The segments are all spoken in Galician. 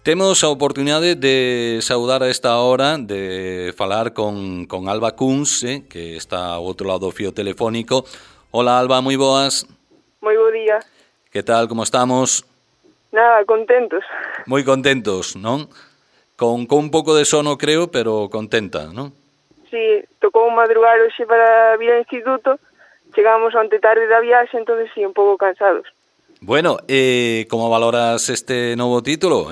Temos a oportunidade de saudar a esta hora, de falar con Alba Cuns, que está ao outro lado do fío telefónico. Hola, Alba, moi boas. Moi bo día. Que tal, como estamos? Nada, contentos. Moi contentos, non? Con un pouco de sono, creo, pero contenta, non? Sí, tocou madrugar hoxe para vir ao instituto. Chegamos onte tarde da viaxe, entonces sí, un pouco cansados. Bueno, como valoras este novo título,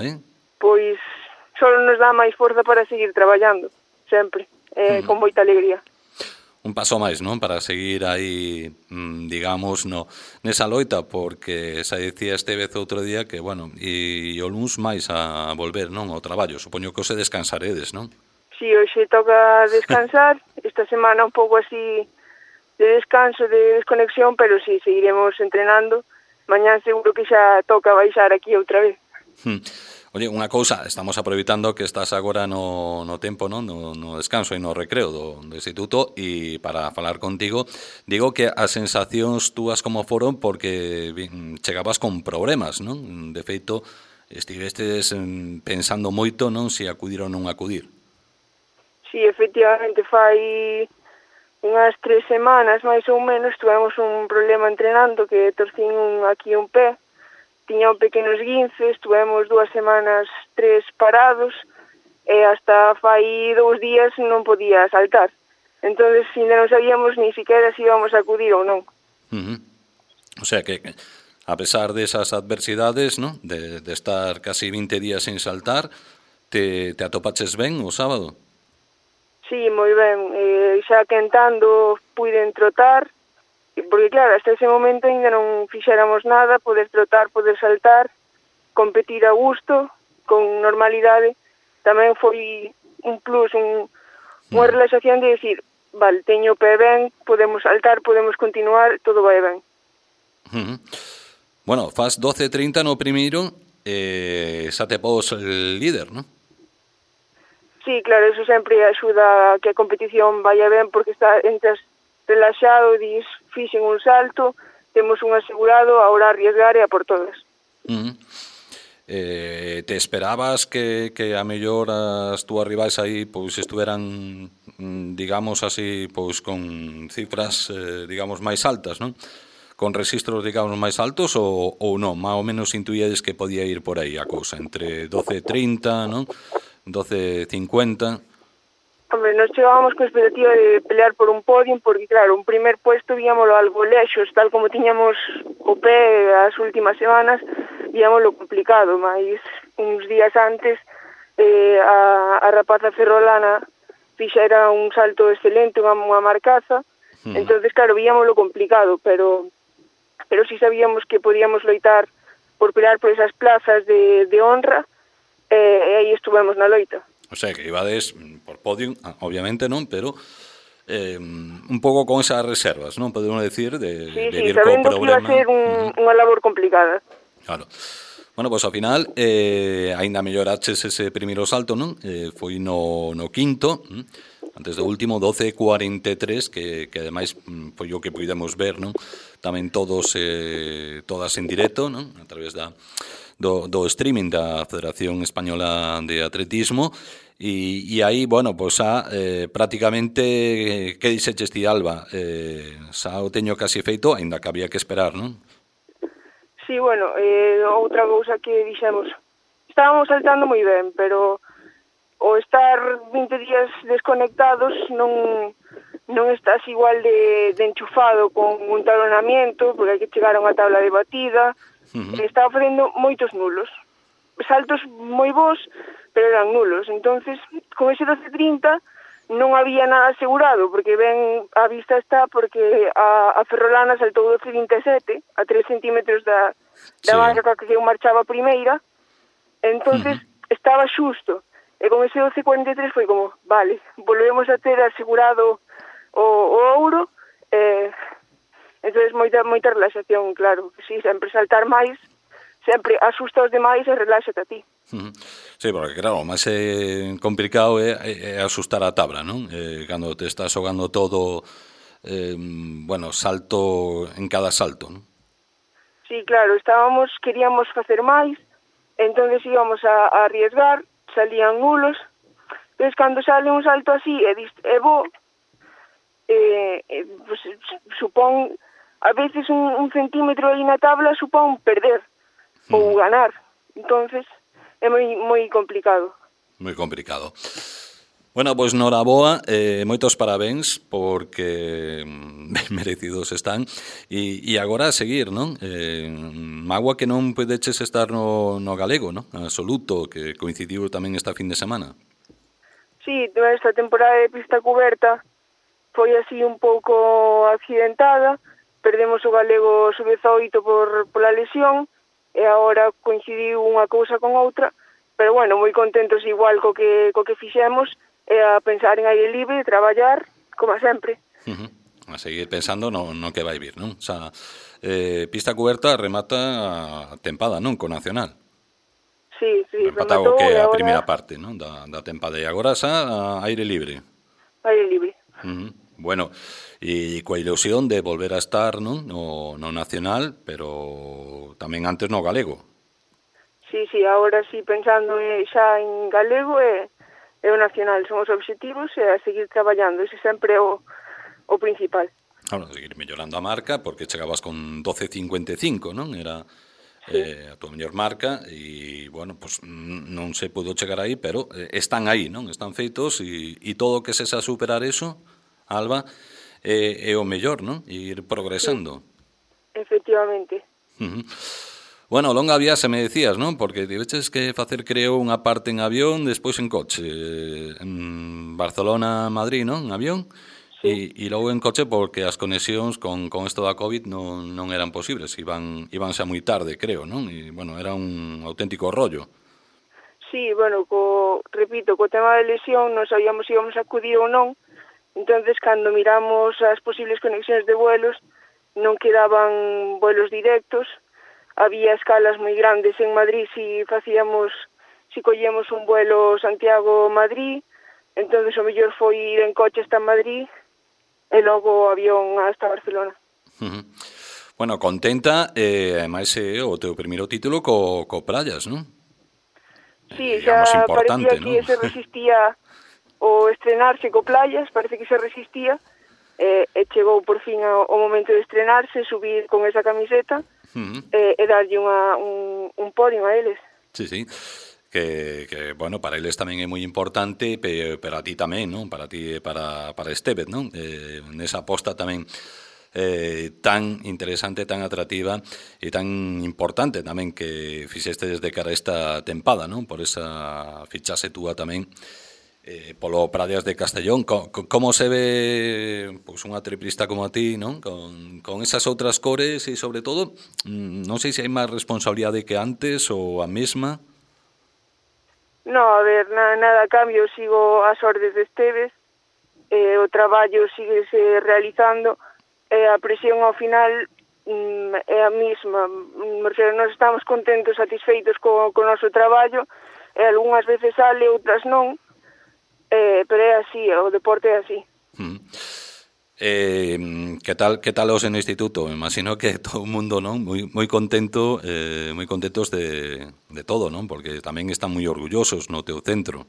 Pois solo nos dá máis forza para seguir traballando, sempre, con moita alegría. Un paso máis, non? Para seguir aí, digamos, nesa loita, porque xa dicía Estevez outro día que, bueno, e o luns máis a volver, non? Ao traballo, supoño que os descansaredes, non? Sí, hoxe toca descansar, esta semana un pouco así de descanso, de desconexión, pero sí, seguiremos entrenando. Mañán seguro que xa toca baixar aquí outra vez. Oye, unha cousa, estamos aproveitando que estás agora no tempo, non? No descanso e no recreo do instituto, e para falar contigo, digo que as sensacións túas como foron porque chegabas con problemas, non? De feito, estivestes pensando moito, non? Se acudir ou non acudir. Sí, efectivamente, fai unhas 3 semanas, máis ou menos, tuvemos un problema entrenando que torcín aquí un pé. Tiña un pequeno esguince, estuvemos 2 semanas, 3 parados, e hasta fai 2 días non podía saltar. Entonces, ainda non sabíamos ni siquiera se íbamos a acudir ou non. O sea que, a pesar desas adversidades, ¿no? De estar casi 20 días sin saltar, te atopaches ben o sábado? Sí, moi ben. Xa quentando puiden trotar, porque claro, hasta ese momento ainda non fixéramos nada, poder trotar, poder saltar, competir a gusto, con normalidade. Tamén foi un plus, unha relaxación de decir, vale, teño o pé ben, podemos saltar, podemos continuar, todo vai ben. Bueno, faz 12:30 no primeiro, xa te pos el líder, non? Sí, claro, eso sempre axuda a que a competición vaya ben, porque entras relaxado, dis, fixen un salto, temos un asegurado, ahora arriesgar e a por todas. Te esperabas que a mellor as túas rivais aí pois estuveran, digamos así, pois con cifras, digamos, máis altas, non? Con registros, digamos, máis altos ou non? Más ou menos intuíades que podía ir por aí a cousa, entre 12:30, non? 12:50... Hombre, nos chegábamos con expectativa de pelear por un podium, porque claro, un primer puesto víamoslo algo lexos, tal como tiñamos o pé as últimas semanas, víamoslo complicado, mas uns días antes a rapaza ferrolana fixera un salto excelente, unha marcaza, entonces claro, víamoslo complicado, pero si sabíamos que podíamos loitar por pelear por esas plazas de honra, e aí estuvemos na loita. O sea, que ibades por podium, obviamente non, pero un pouco con esas reservas, non? Podemos decir, de vir co problema. Sí, sabendo que iba a ser unha labor complicada. Claro. Bueno, pois ao final, aínda melloraches ese primeiro salto, non? Foi no quinto, antes do último, 12:43, que ademais foi o que pudemos ver, non? Tamén todas en directo, non? A través do streaming da Federación Española de Atletismo. E aí, bueno, pois xa prácticamente que dixeches ti, Alba, xa o teño casi feito, aínda que había que esperar, non? Sí, bueno, outra cousa que dixemos, estábamos saltando moi ben, pero o estar 20 días desconectados non estás igual de enchufado con un talonamiento, porque hai que chegar a unha tabla de batida. Estaba facendo moitos nulos, saltos moi bons, pero eran nulos. Entonces, con ese 12:30 non había nada asegurado, porque ben a vista está, porque a ferrolana saltou 12:27, a 3 centímetros da marca que eu marchaba primeira. Entonces estaba xusto, e con ese 12:43 foi como, vale, volvemos a ter asegurado o ouro. Entonces moita relaxación, claro. Sí, sempre saltar máis, sempre asusta aos demais e relaxate a ti. Sí, porque claro, o máis complicado é asustar a tabla, non? Cando te estás xogando todo, bueno, salto en cada salto, non? Sí, claro, queríamos facer máis, entonces íbamos a arriesgar, salían nulos, entonces cando sale un salto así e bo, pues, supón, a veces un centímetro aí na tabla supón perder ou ganar, entonces é moi complicado. Moi complicado. Bueno, pois noraboa, moitos parabéns porque merecidos están e agora a seguir, non? Mágoa que non podeches estar no galego, non? Absoluto, que coincidiu tamén esta fin de semana. Sí, esta temporada de pista cuberta foi así un pouco accidentada, perdemos o galego sub-18 pola lesión e agora coincidiu unha cousa con outra, pero bueno, moi contentos igual co que fixemos, a pensar en aire libre e traballar, como sempre. A seguir pensando no que vai vir, non? O sea, pista cuberta remata a tempada, non? Co Nacional. Sí, rematou que a primeira parte, non? Da tempada. E agora xa a aire libre. Aire libre. Bueno, e coa ilusión de volver a estar, non? No Nacional, pero tamén antes no galego. Sí, agora sí, pensando xa en galego e o Nacional son os obxectivos e a seguir traballando, ese sempre é o principal. Claro, seguir mellorando a marca, porque chegabas con 12.55, non? Era a tua mellor marca e, bueno, pues non se pudo chegar aí, pero están aí, non? Están feitos e todo o que se xa superar eso, Alba, é o mellor, non? E ir progresando. Sí, efectivamente. Bueno, longa viaxe me decías, non? Porque tiveches que facer, creo, unha parte en avión, despois en coche. En Barcelona-Madrid, non? En avión. Sí. E logo en coche porque as conexións con isto da COVID non eran posibles. Iban xa moi tarde, creo, non? E, bueno, era un auténtico rollo. Sí, bueno, repito, co tema de lesión non sabíamos se íbamos a acudir ou non. Entonces, cando miramos as posibles conexións de vuelos, non quedaban vuelos directos. Había escalas moi grandes en Madrid si collíamos un vuelo Santiago-Madrid, entonces o mellor foi ir en coche hasta Madrid e logo o avión hasta Barcelona. Bueno, contenta, ademais é o teu primeiro título co Prallas, non? Sí, xa parecía que se resistía o estrenarse co Playas, parece que se resistía, e chegou por fin o momento de estrenarse, subir con esa camiseta e darlle un podio a eles. Sí, que bueno, para eles tamén é moi importante, pero a ti tamén, non? Para ti e para Estevez, non? Nesa aposta tamén tan interesante, tan atractiva e tan importante tamén que fixeste desde cara a esta tempada, non? Por esa fichase túa tamén polo Prallas de Castellón. Como se ve pois unha triplista como a ti, non? Con esas outras cores e sobre todo non sei se hai máis responsabilidade que antes ou a mesma. No, a ver, nada a cambio, sigo as ordes de Estevez, o traballo síguese realizando e a presión ao final é a mesma. Nos estamos contentos, satisfeitos co noso traballo e algunhas veces sale, outras non. Pero é así, o deporte é así. Que tal os en o instituto? Imagino que todo o mundo, non, moi contento, moi contentos de todo, non? Porque tamén están moi orgullosos no teu centro.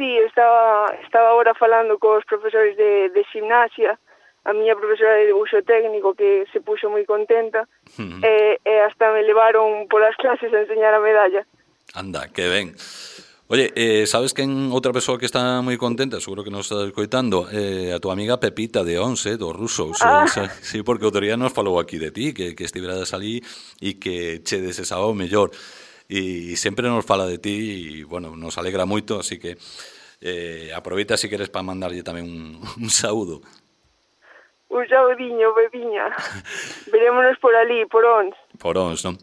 Sí, estaba agora falando cos profesores de gimnasia, a miña profesora de dibuixo técnico que se puxo moi contenta e hasta me levaron polas clases a enseñar a medalla. Anda, que ben. Oye, sabes que outra persoa que está moi contenta, seguro que nos está escoitando, a tua amiga Pepita de Once, dos rusos. Sí, porque outro día nos falou aquí de ti, que estiveras ali e que che desexaba o mellor. E sempre nos fala de ti e, bueno, nos alegra moito, así que aproveita se queres para mandarlle tamén un saúdo. Un saudiño, Pepiña. Verémonos por ali, por Ons. Por Ons, non?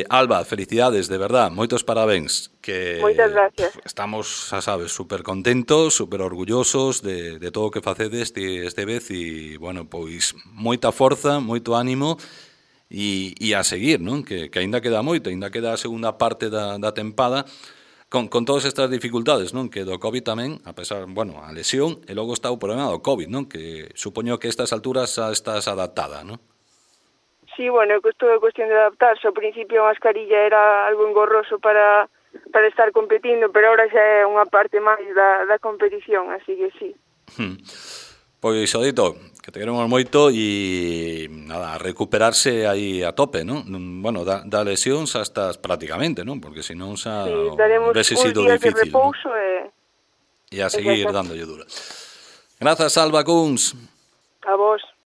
Alba, felicidades, de verdad, moitos parabéns. Moitas gracias. Estamos, xa sabes, super contentos, super orgullosos de todo o que facedes este vez e, bueno, pois, moita forza, moito ánimo e a seguir, non? Que aínda queda moito, aínda queda a segunda parte da tempada, con todas estas dificultades, non? Que do COVID tamén, a pesar, bueno, a lesión, e logo está o problema do COVID, non? Que supoño que a estas alturas xa estás adaptada, non? Sí, bueno, é toda cuestión de adaptarse. Ao principio a mascarilla era algo engorroso para estar competindo, pero ahora xa é unha parte máis da competición, así que sí. Pois, Odito, que te queremos moito e nada, a recuperarse aí a tope, non? Bueno, da lesión xa estás prácticamente, non? Porque senón xa sí, daremos vese uns sido días difícil, de repouso, ¿no? E a seguir dándolle dura. Grazas, Alba Cuns. A vos.